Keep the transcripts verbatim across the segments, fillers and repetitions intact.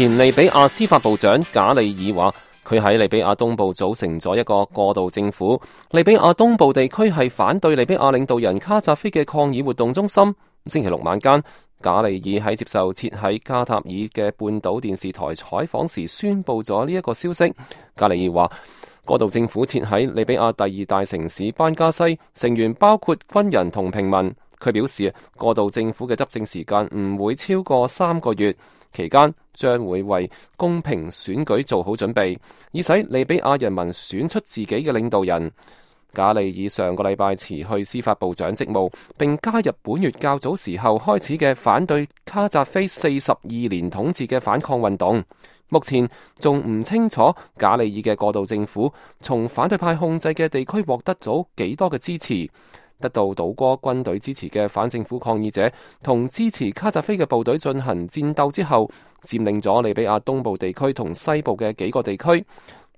前利比亞司法部長賈利爾話，佢喺利比亞東部組成咗一個過渡政府。利比亞東部地區係反對利比亞領導人卡扎菲嘅抗議活動中心。星期六晚間，賈利爾喺接受設喺卡塔爾嘅半島電視台採訪時宣布咗呢一個消息。賈利爾話，過渡政府設喺利比亞第二大城市班加西，成員包括軍人同平民。佢表示，過渡政府嘅執政時間唔會超過三個月，期間將會為公平選舉做好準備，以使利比亞人民選出自己嘅領導人。賈利爾上個禮拜辭去司法部長職務，並加入本月較早時候開始嘅反對卡扎菲四十二年統治嘅反抗運動。目前仲唔清楚賈利爾嘅過渡政府從反對派控制嘅地區獲得咗幾多嘅支持。得到倒戈軍隊支持嘅反政府抗議者同支持卡扎菲嘅部隊進行戰鬥之後，佔領咗利比亞東部地區同西部嘅幾個地區。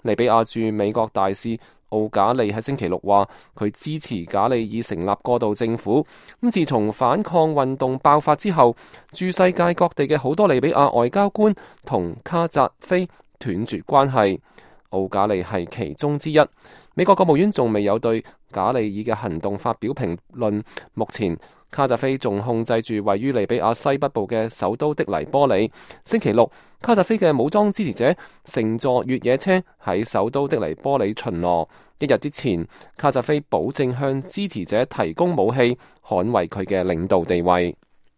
利比亞駐美國大使奧賈利喺星期六話，佢支持賈利爾成立過渡政府。咁自從反抗運動爆發之後，駐世界各地嘅好多利比亞外交官同卡扎菲斷絕關係，奧賈利係其中之一。美國國務院仲未有對賈利爾嘅行動發表評論。目前卡扎菲仲控制住位於利比亞西北部嘅首都的黎波里。星期六，卡扎菲嘅武裝支持者乘坐越野車喺首都的黎波里巡邏。一日之前，卡扎菲保證向支持者提供武器，捍衛佢嘅領導地位。